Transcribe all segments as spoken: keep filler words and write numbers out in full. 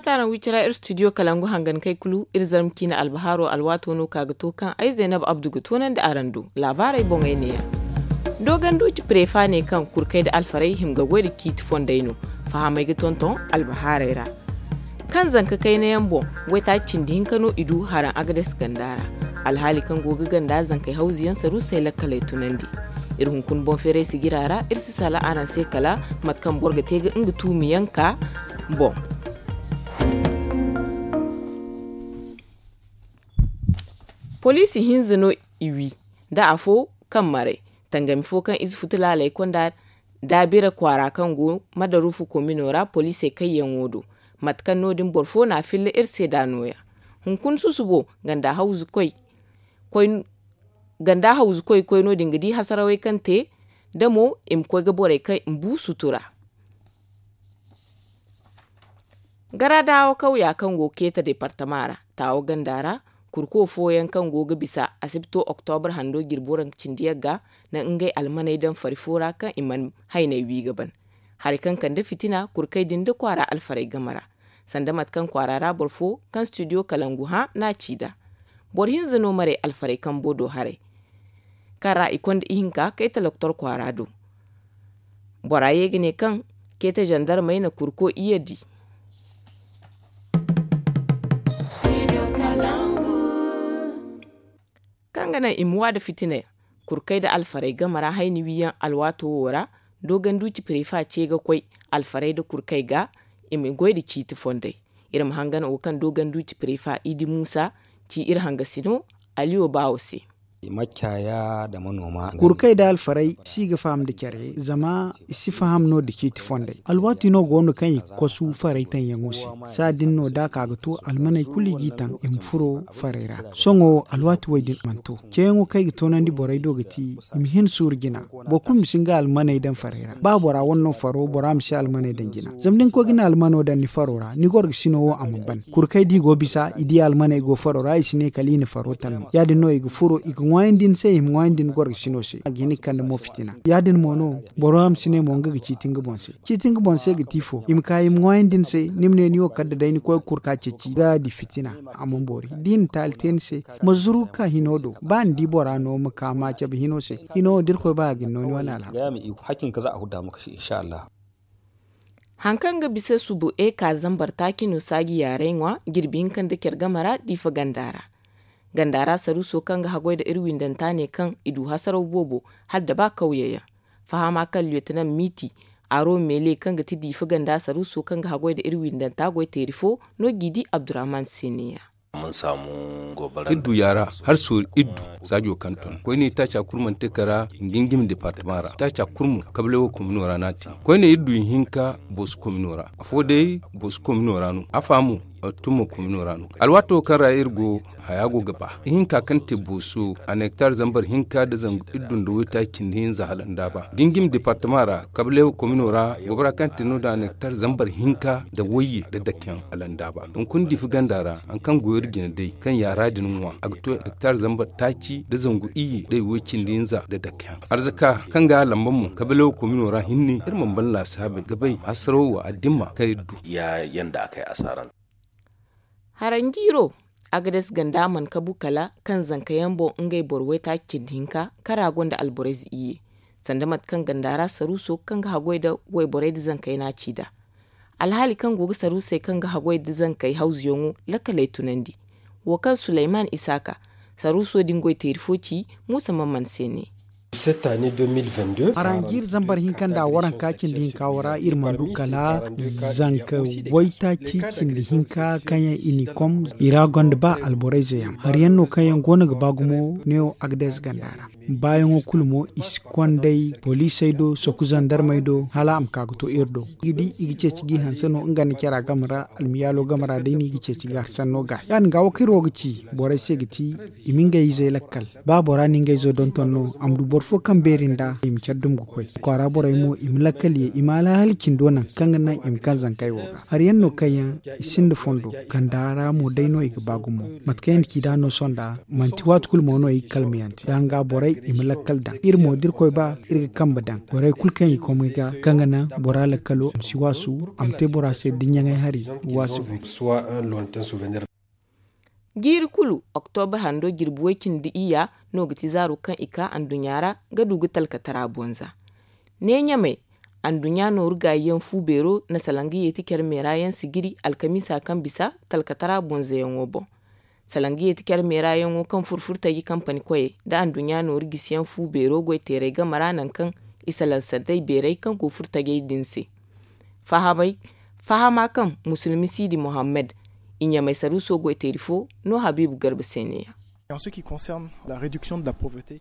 Araŋ wi cira iri studio kalangu hangan kay kulu iri zarma ciine albahaaro alwaato no ka ga to kaŋ ay zaynab abdu ga toonandi araŋ do. Laabaarey boŋey neeya. Dooganduuci prefa ne kaŋ kurkey nda alfarey hima ga goy nda ciiti fondey no. Fahamey ga tonton albahaarey ra. Kaŋ zanka kayna yaŋ boŋ, waytaaci cindi hinka no i du haraŋ agades ganda ra. Alhaali kaŋ go ga ganda zankey hawzu yaŋ saruusey lakkaley tunandi. Iri hunkuna boŋ feeray sigira ra iri si sala araŋ se kala mate kaŋ boro ga te ga nga tuumi yaŋ ka boŋ. Poliisi hinza no i wi nda afo kaŋ maray tangami fo kaŋ ize futu laaley konda daabira kwaara kaŋ go madarufu komino ra poliisey kayyaŋo do. Mate kaŋ no- din boro fo n'a filla iri se da nooya. Hunkuna susubo ganda hawzu koy ganda hawzu koy koy no- din ga di hasarawey kaŋ te da mo i ma koy ga borey kaŋ i ma bu sutura. Gara daawo kawya kaŋ go ga keeta departama ra taawo ganda ra, kurko fooyaŋ kaŋ go ga bisa asibto oktobar hando jirbi waranka cindi yagga na ngey almaney daŋ fari fo ra kaŋ i mana hayney wi ga ban. Hari kaŋ kande fitina kurkey din nda kwaara alfarey game ra, sanda mate kaŋ kwaara ra boro fo kaŋ studio kalangu hã n'a ci nd'a. Boro hinza no maray alfarey kambo do haray kaŋ ra i konda ihinka kayta loktor kwaara do. Bora ye ga ne kaŋ kayta zandarmey na kurko iyye di. Kaŋ ga naŋ i ma wa nda fitina kurkey nda alfarey game ra hayni wiyaŋ alwaato wo ra. Dooganduuci prefa ce ga koy alfarey nda kurkey ga i ma goy nda ciiti fondey. Iri ma hangan wo kaŋ dooganduuci prefa idi muusa ci iri hangasino aliyo baawo se. Kurkey nda alfarey si ga faham nda care zama i si faham no nda ciiti fondey alwaati no go no kaŋ i ga kosu farey taŋyaŋo se. Saa din no da a ka ga to almaney kulu i g'i taŋ i ma furo farey ra. Sohõ alwaati wo- din mana to ceeyaŋo kaŋ i ga toonandi borey do ga ti i ma hin suuru jina. Boro kulu ma si nga almaney daŋ farey ra ba bora wane no faro bora ma si almaney daŋ jina zama da ni koy ga ni almano daŋ ni faro ra ni gorgasino wo a mana ban kurkey da i go bisa i di almaney go faro ra i si ne kala i na faro taŋ no ya- din no i ga furo i ga ŋwaayandi ni se i ma ŋwaayandi ni gorgasino se a ga hin ga kande mo fitina. Ya- din mo no bora ma si ne mo nga ga ciiti nga boŋ se ciiti nga boŋ se ga ti fo i ma ka i ma ŋwaayandi ni se ni ma ne ni wo kala da day ni koy ga kurka ceeci ga di fitina. A mana boori da i na taali te ni se ma zuru ka hino do ba ni di bora no ma ka ma cabe hino se. Hino wo da irkoy ba a ga ni no ni wane alhaku. Haŋ kaŋ ga bisa subu eka zambar taaci no saaji yaaray ŋwa jirbi hinka nda care game ra diifa ganda ra. Ganda ra saruuso kaŋ ga haggoy nda iri windanta ne kaŋ i du hasaraw boobo hala da ba kawye yaŋ. Fahama kaŋ liyotinam miiti aro meele kaŋ ga ti diifa ganda saruuso kaŋ ga haggoy nda iri windanta goy teeri fo no g'i di abdurrahman se neeya. Iri du yaara har sooru iri du saajo kaŋ ton koyne taaca kulu mana te kara ngingim departama ra taaca kulu mo kablay wo komino ra no a te. Koyne iri du ihinka booso komino ra afo day booso komino ra no afa mo. Tumma komino ra no alwaato kaŋ ra iri go haya go ga ba ihinka kaŋ te booso a nektar zambar hinka nda zangu iri du nda waytaaci cindi hinza hala nda ba ngingim departama ra kablay wo komino ra gobara kaŋ te no- din a nektar zambar hinka nda wayye nda dakeyaŋ hala nda ba hunkuna diifa ganda ra haŋ kaŋ go iri jine day kaŋ yaara din ŋwa a ga to hektar zambar taaci nda zangu iyye nda i way cindi hinza nda dakeyaŋ arzaka kaŋ ga a lamba mo kabilaw komino ra hinne iri mana ban laasaabey ga bay hasaraw wo addimma kaŋ iri du. Haranjiiro agades ganda mana kabu kala kaŋ zanka yaŋ boŋ ngey boro waytaaci cindi hinka kaŋ ra gonda alborayze iyye sanda mate kaŋ ganda ra saruuso kaŋ ga haggoy nda wayborey nda zankey no a ci nd'a. Alhaali kaŋ go ga saruusey kaŋ ga haggoy nda zankey hawzuyaŋo lakkaley tunandi. Wo kaŋ suleyman isaaka saruuso din goy teeri fo ci muusa mamman se ne. Aranjiir zambar hinka nda waranka cindi hinka wo ra iri mana du kala zanka waytaaci cindi hinka kaŋ yaŋ i n'i kom i ra gonda ba alborayze yaŋ hari yaŋ no kaŋ yaŋ go no ga ba gumo neewo agades ganda ra. Baayaŋo kulu mo i si konday poliisey do soku zandarmey do hala a ma ka ga to iri do. I ga di i ga ceeci g'i hanse no nga nda cara game ra almiyaalo game ra day no i ga ceeci ga sanno ga ya- din ga wo kaŋ iri wo ga ci borey se ga ti i ma ngey izey lakkal. Ba bora na ngey izo donton no a ma du boro. Fo kaŋ beeri nda i ma care dum ga koy, kwaara borey mo i ma lakkal ye, i ma alhali cindo naŋ kaŋ ga naŋ i ma kaŋ zankey wo ga. Hari yaŋ no kaŋ yaŋ i sinda fondo, ganda ra mo day no i ga ba gumo. Mate kaŋ yaŋ ci da no sonda, manti waati kulu mo no i ga kalmayante da nga borey i ma lakkal daŋ. Iri mo da iri koy ba, iri ga kambe daŋ borey kulu kaŋ i komey ga, kaŋ ga naŋ bora lakkalo a ma si waasu, a ma te bora se diɲɲaŋey hari. Waasu. Jiiri kulu, oktobra hando jirbi way-cindi iyya no ga ti zaaro kaŋ i ka anduɲɲa ra ga du ga talkatara bonza. Ne ɲamay, anduɲɲa nooru gaayiyaŋ fu beero na salaŋ ga yeeti care meera yaŋ sijiri alkamiisa kaŋ bisa talkatara bonzayaŋo boŋ. Salaŋ ga yeeti care meera yaŋo kaŋ furo furtaji kampani koyey nda anduɲɲa nooru gisiyaŋ fu beero goy teeray game ra nangu kaŋ i salaŋ sandey beeray kaŋ go furtajey din se. Fahamay fahama kaŋ musulmi siidi muhammad i ɲamay saruuso goy teeri fo no habiibu garba se ne ya.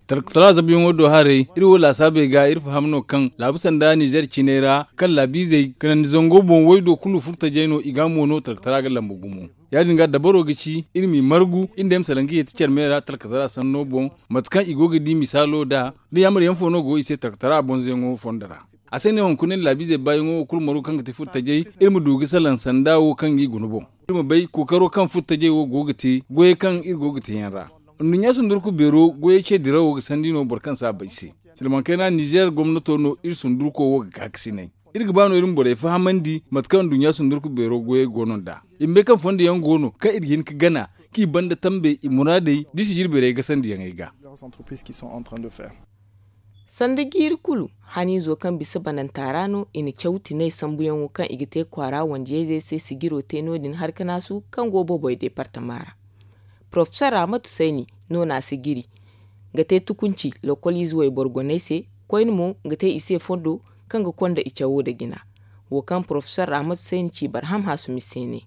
Talkatara zabuyaŋo do haray iri wo laasaabey ga iri faham no kaŋ laabu sanda nizer ciney ra kaŋ laabiizey kanandi zango boŋ waydo kulu furtajey no i ga mo no talkatara ga lamba gumo. Ya- din ga dabaro ga ci iri m'i margu iri nda ay ma salaŋ ga yeeti care me ra talkatara sanno boŋ, mate kaŋ i go ga di misaalo nd'a da yaamar yaŋ fo no go i se talkatara bonzoyaŋo fondo ra. A se no hunkuna iri laabiizey baayaŋo wo kulu margu kaŋ ga ti furtajey, iri ma du ga salaŋ sanda wo kaŋ ga i guna boŋ. Iri ma bay kookaro kaŋ furtajey wo go ga te goyey kaŋ iri go ga te yaŋ ra. Nduɲɲa sundurku beero goyey ce dirawo ga sandi no boro kaŋ si a bay se. Silmaŋ kayna nizer gomnato no iri sundurko wo ga kaakasinay. Iri ga ba no iri ma borey fahamandi mate kaŋ nduɲɲa sundurku beero goyey go no nd'a. I ma bay kaŋ fondo yaŋ go no kaŋ iri ga hin ga gana k'i banda tambe i muraadey da i sijiri beerey gasandiyaŋey ga. Sanda jiiri kulu, haniizo kaŋ bisa bananta ra no i na caw tinay sambuyaŋo kaŋ i ga te kwaara wandiyayzey se sijiro te no- din harkanaasu kaŋ go boboy deepartama ra. Porofesor ramatu sayni no na a sijiri ga te tukunci lokoliize wayboro goney se. Koyne mo ga te i se fondo kaŋ ga konda i cawo nda jina. Wo kaŋ porofesor ramatu sayni ci barham haasumi se ne.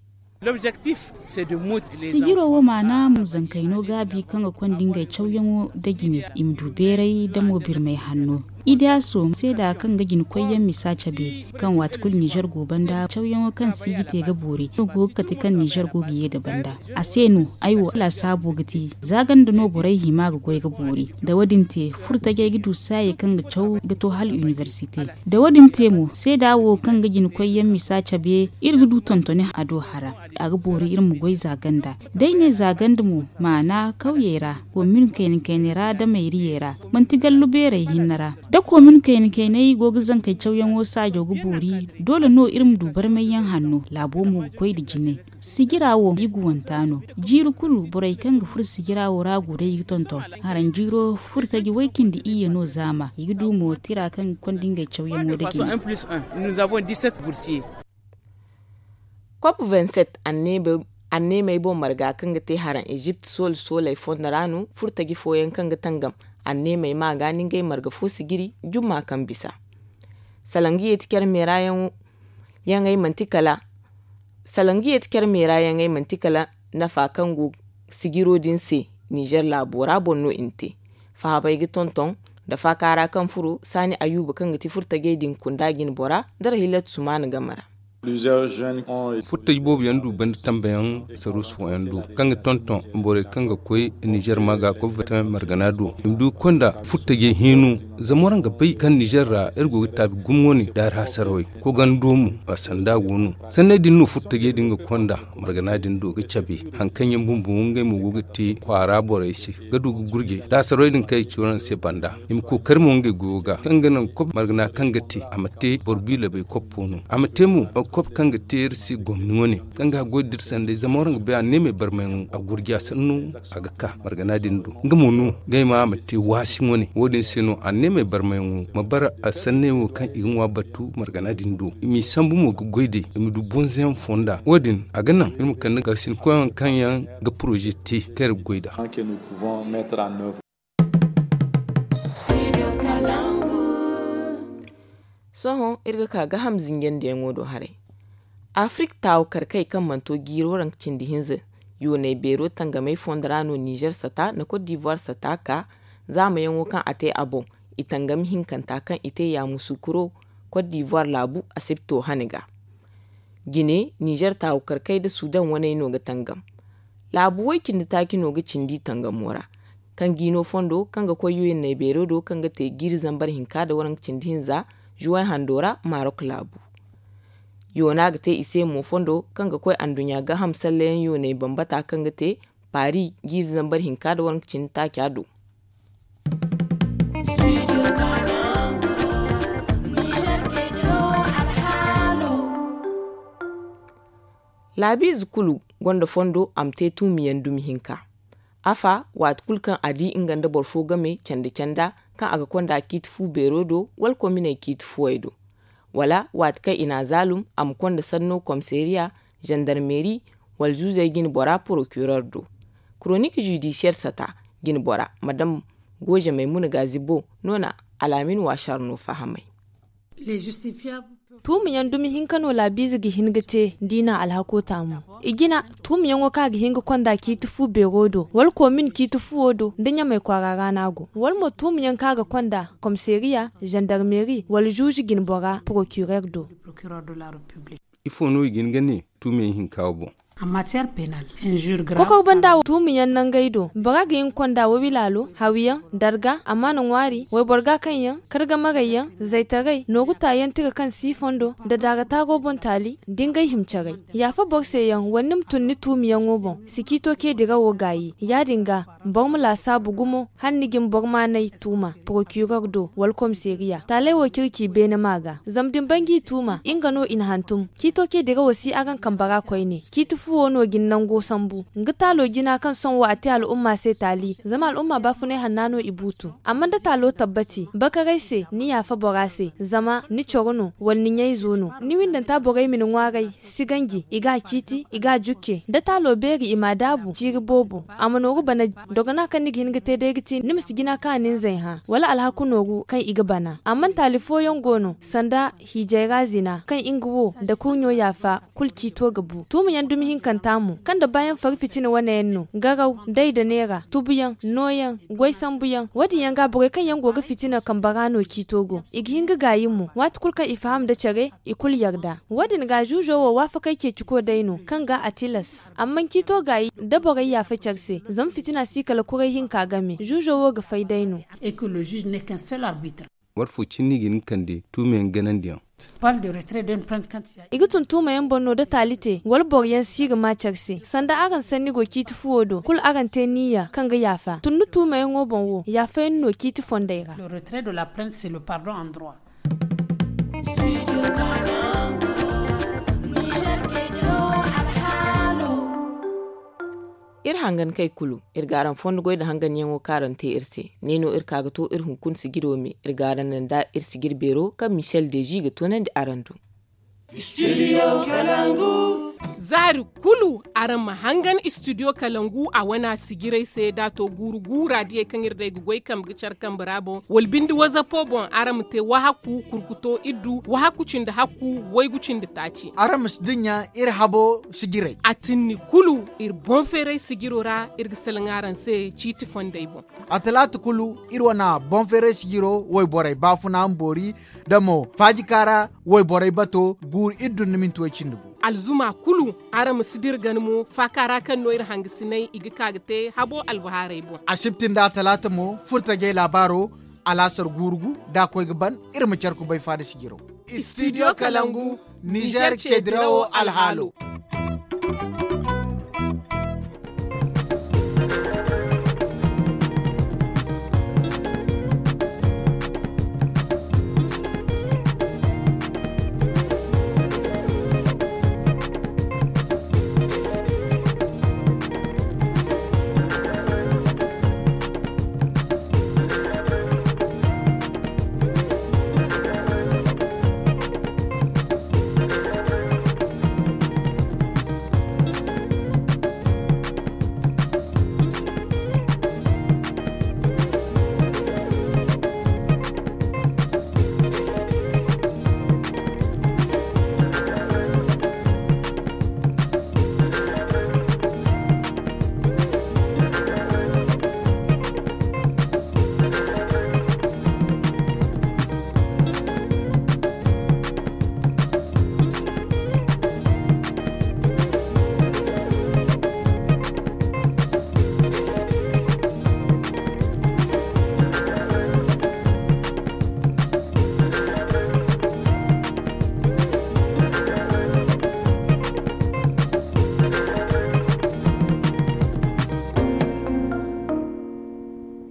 Sijiro wo maana mo zankayno gaabi kaŋ ga konda ngey cawyaŋo nda jine i ma du beeray nda mo birmay hanno. Idiyaaso seeda kaŋ ga jina koyyaŋ misa cabe kaŋ waati kulu nizer go banda cawyaŋo kaŋ si ga te ga boori no go ga kate kaŋ nizer go ga ye nda banda. A se no ay wo laasaabo ga te za ganda no borey hima ga goy ga boori. Da wo- din te furtajey ga du saayey kaŋ ga caw ga to hala inibersite. Da wo- din te mo seeda wo kaŋ ga jina koyyaŋ misa cabe iri ga du tontoni a do hara. A ga boori iri ma goy za ganda. Day ne za ganda mo maana kawyey ra komin kayna kaynay ra da mayriyey ra manti gallu beerey hinne ra. Da komin kayna kaynay go ga zankey cawyaŋo saajo ga boori doole no iri ma du barmayyaŋ hanno laabo mo ga koy nda jine. Sijira wo i guwanta no. Jiiri kulu borey kaŋ ga furo sijira wo ra go day ga tonton. Haranjiiro furtaji way-cindi iyye no zaama i ga du mo tira kaŋ ga konda ngey cawyaŋo nda jine. Kop vingt-sept anneemey boŋ marga kaŋ ga te haraŋ ezipt soole sooley fondo ra no furtaji fooyaŋ kaŋ ga tangam anneemey ma ga ni ngey marga fo sijiri jumma kaŋ bisa. Salaŋ ga yeeti care meera yaŋo yaŋey manti kala salaŋ ga yeeti care meera yaŋey manti kala nafa kaŋ go sijiro din se. Nizer laabo ra boŋ no i na te fahamey ga tonton nda faakaara kaŋ furo saani ayuba kaŋ ga ti furtajey din kunda jine bora nda rahilatu sumaana game ra. Furtaji boobo yaŋ du banda tambayaŋ saruusu fooyaŋ do kaŋ ga tonton borey kaŋ ga koy nizer ma ga koy vitamin margana do i ma du ga konda furtajey hino. Zama waraŋ ga bay kaŋ nizer ra iri go ga taabi gumo wane daari hasarawey koy gando mo a sanda go no. Sanney din no furtajey din ga konda margana din do ga cabe haŋ kaŋ yaŋ bumbo ngey mo go ga te kwaara borey se ga du ga gurjey da hasarawey din kaŋ i ci waraŋ se banda. I ma kookari mo ngey goyo ga kaŋ ga naŋ kop margana kaŋ ga te a ma te boro biilabey koppo no a ma te mo kop kaŋ ga te iri se gomni wane kaŋ ga goy da iri sanday zama waraŋ ga bay a neemey barmayaŋo a gurja sanno a ga ka margana din do. Nga mo no ngey ma a ma te waasi wane wo- din se no a neemey barmayaŋo ma bara a sanney wo kaŋ i ga ŋwa battu margana din do i m'i sambu mo ga goy day i ma du bonzayaŋ fonda wo- din a ga naŋ iri ma kande ga sinkoyaŋ kaŋ yaŋ ga poroze te kaŋ iri ga goy nd'a. Sohõ iri ga ka gaaham zinjandiyaŋo do haray. Afirik taawu karkey kaŋ mana to jiiro ra cindi hinza yooney beero tangamey fondo ra no nizer sata nda kot divuwar sata ka zaamayaŋo kaŋ a te a boŋ. I tangami hinkanta kaŋ i te yaamusu kuro kot divuwar laabu asibto hane ga. Jine nizer taawu karkey nda sudan waney no ga tangam. Laabu way cindi taaci no ga cindi tangamo ra. kaŋ ga i no fondo kaŋ ga koy yoyanney beero do kaŋ ga te jiiri zambar hinka nda waranka cindi hinza, juway hando ra marok laabu. Yoona ga te i se mo fondo kaŋ ga koy anduɲɲa gaaham sallayaŋ yooney bambata kaŋ ga te paari jiiri zambar hinka nda waranka cindi taaca do. Laabiize kulu gonda fondo a ma te tuumiyaŋ dumi hinka. Afa, waati kulu kaŋ a di nga nda boro fo game canda-canda kaŋ a ga konda ciiti fu beero do wala kominey ciiti fuwey do, wala waati kaŋ i n'a zaalum a ma konda sanno komisariya, zandarmeri, wala zuuzey jine bora porokirer do. Koronik zudisiyer sata jine bora, madam gooze maymuna gaazibo no na alaamin waasar no fahamay. Tuumiyaŋ dumi hinka no laabiize ga hin ga te da i na alhako taamu. I jina, tuumiyaŋo kaŋ a ga hin ga konda ciiti fu beero do wala komin ciiti fuwo do nda ɲamay kwaara ra no a go, wala mo tuumiyaŋ kaŋ a ga konda komisariya, zandarmeri wala zuuzu jine bora porokirer do. Ifo no i ga hin ga ne tuumiyaŋ hinka wo boŋ? Kokor banda wo tuumiyaŋ nangey do bora ga hin ga konda wawilaalo, hawyaŋ, darga, amaana ŋwaari, wayboro gaakaŋyaŋ, kargamarayyaŋ, zaytaray, nooru taayaŋ tira kaŋ si fondo, nda daara taaro boŋ taali, da ngey hima caray. Yaafa boro se yaŋ wala ni ma tun ni tuumiyaŋo boŋ, si ciito ce dirawo gaayi. Ya-din ga, boro ma laasaabu gumo hala ni jin boro maanay tuuma porokirer do wala komisariya taaley wo circi beene ma ga zama da ni bay ga i tuuma nga no i na hantum. Ciito ce dirawo si araŋ kambe ra koyne ciiti fuwo no ga ni nango sambu. Nga taalo jina kaŋ sohõ wo a te al'umma se taali zama al'umma baafunay hanna no i buutu. Amma da taalo tabbati bakaray se ni yaafa bora se zama ni coro no wala ni ɲayzo no ni windanta borey ma ni ŋwaaray. Si ganji i ga a ciiti i ga a jukke da taalo beeri i m'a daabu ciiri boobo a ma nooru bana. Dogona kaŋ ni ga hin ga te day ga ti ni ma si jina kaŋ a na ni zay hã wala alhaku nooru kaŋ i ga bana amma taali fooyaŋ go no sanda hiijay ra zina kaŋ nga wo nda kurɲo yaafa kulu ciito ga bu tuumayaŋ dumi hinkanta mo kaŋ nda baayaŋ fari fitina wane yaŋ no garaw day nda neera tubuyaŋ nooyaŋ goy sambuyaŋ wo- din yaŋ ga borey kaŋ yaŋ go ga fitina kambe ra no ciito go i ga hin ga gaayi mo waati kulu kaŋ i faham nda care i kulu yarda. Wo- din ga zuuzo wo waafakey ceeciko day no kaŋ ga a tilas amma ciito gaayi da borey yaafa care se zama fitina si kala kuray hinka game zuuzo wo ga fay day no. War fo cine no i ga hin ga kande tuumayaŋ ganandiyaŋ? I ga tun tuumayaŋ boŋ no da taali te wala boro yaŋ si ga ma care se sanda araŋ sanni go ciiti fuwo do kulu araŋ te niyya kaŋ ga yaafa tun ni tuumayaŋo boŋ wo yaafayaŋ no ciiti fondey ra. Iri hangankey kulu iri ga araŋ fondo goy nda hanganyaŋo kaŋ araŋ te iri se. Ne no iri ka ga to iri hunkuna sijiro me iri ga araŋ naŋ nda iri sijir beero kaŋ michel deji ga toonandi araŋ do. Zaari kulu araŋ ma hangan istidiyo kalangu a wana sijirey se da a to guuru guura diyey kaŋ iri day ga goy kambe ga care kambe ra boŋ wala binde wazapo boŋ araŋ ma te wahakku kurkuto iddu wahakku cindi hakku waygu cindi taaci. Araŋ ma si dinya iri habo sijirey a tinni kulu iri boŋ feeray sijiro ra iri ga salaŋ araŋ se ciiti fondey boŋ. A talaata kulu iri wana boŋ feeray sijiro wayborey baafuna ma boori da mo faajika ra wayborey bato guuru iri dun ni minti way cindi gu. Alzuma kulu araŋ ma si dira gana mo faaka ra kaŋ no iri hangasiney i ga ka ga te habo albahaarey boŋ. Asibti nda a talaata mo furtajey laabaaro alaasar guuru gu da a koy ga ban iri ma care kubay faada sijiro. Istidiyo kalangu nizer ceedirawo alhaalo.